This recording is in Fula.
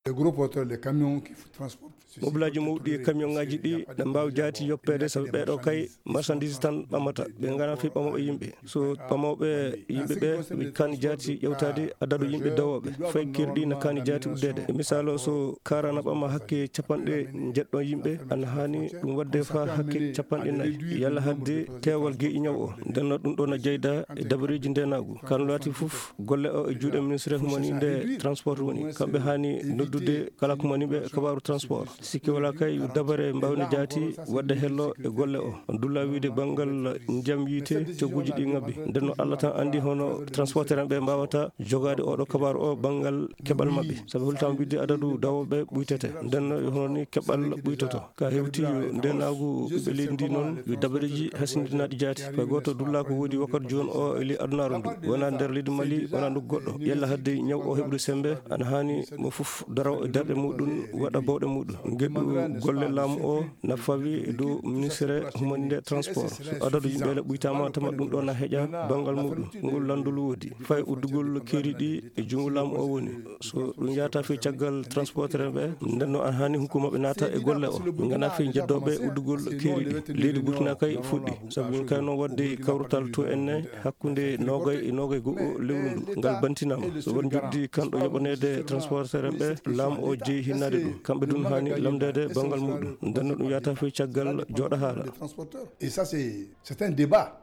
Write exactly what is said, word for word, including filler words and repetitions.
Les gros porteurs, les camions qui transportent ceci. Mobilaaji mawɗi e camion ŋaaji ɗi na mbaawi jaati yoppeede, sabu ɓeeɗo kay marchandise tan ɓamata. Ɓe nganaa fii ɓamooɓe yimɓe. So ɓamooɓe yimɓe ɓe ɓe kaani jaati ƴewtaade adadu yimɓe dawooɓe, fay kirɗi na kaani jaati uddeede. E misaalo, so kaara na ɓama hakke capanɗe njeɗɗo yimɓe, ana haani ɗum waɗde faa hakke capanɗe nayi, yalla hadde teewal geeƴi ñaw o. Nden no ɗum ɗo na jeyda e dabareeji ndeenaagu. Kano laati fof, golle o e juuɗe ministre humaninde transport woni. Kamɓe haani noddude kala ko mani ɓe kabaaru transport. Sikke wala kay yo dabare mbawne jaati wadde hello e golle o. On dulla wiide banngal ndiyam yiite cogguji ɗi ngabbi. Nden no Allah tan anndi hono transporteur en ɓe mbawata jogaade oɗo kabaaru o banngal keɓal maɓɓe. Sabu hultam wiide adadu dawooɓe ɓuytete. Nden no e hono ni keɓal ɓuytoto. Ka hewti yo ndeenaagu ɓiɓɓe leydi ndi noon, yo dabareeji hasindinaaɗi jaati. Ko gooto dulla ko woodi wakkati jooni o e ley adunaaru ndu. Wona nder leydi Mali, wona ndu goɗɗo. Yalla hadde ñaw o heɓude sembe, ana haani mo fof daraw e darɗe muɗum, waɗa bawɗe muɗum. Ngeɗu golle laamu o na fawi e dow ministre humaninde transport. So adadu yimɓe le ɓuytaama, tama ɗum ɗo na heƴa banngal muɗum. Ngol lanndol woodi. Fay uddugol keeri ɗi e junngo laamu o woni. So ɗum yahata fii caggal transporteur ɓe, nden no an haani hukuma ɓe naata e golle o. Ɓe ngana fii jeddooɓe uddugol keeri ɗi. Leydi Burkina kay fuɗɗi. Sabu min kay no waɗde kawrutal to enne hakkunde noogay e noogay go'o lewru ndu. Ngal bantinaama. So won njoɓdi kanɗo yoɓaneede transporteur ɓe, laamu o jeyi hinnaade ɗum. Kamɓe ɗum haani lamndeede banngal muɗum. Nden no ɗum yahata fii caggal jooɗa haala. Et ça, c'est, c'est un débat.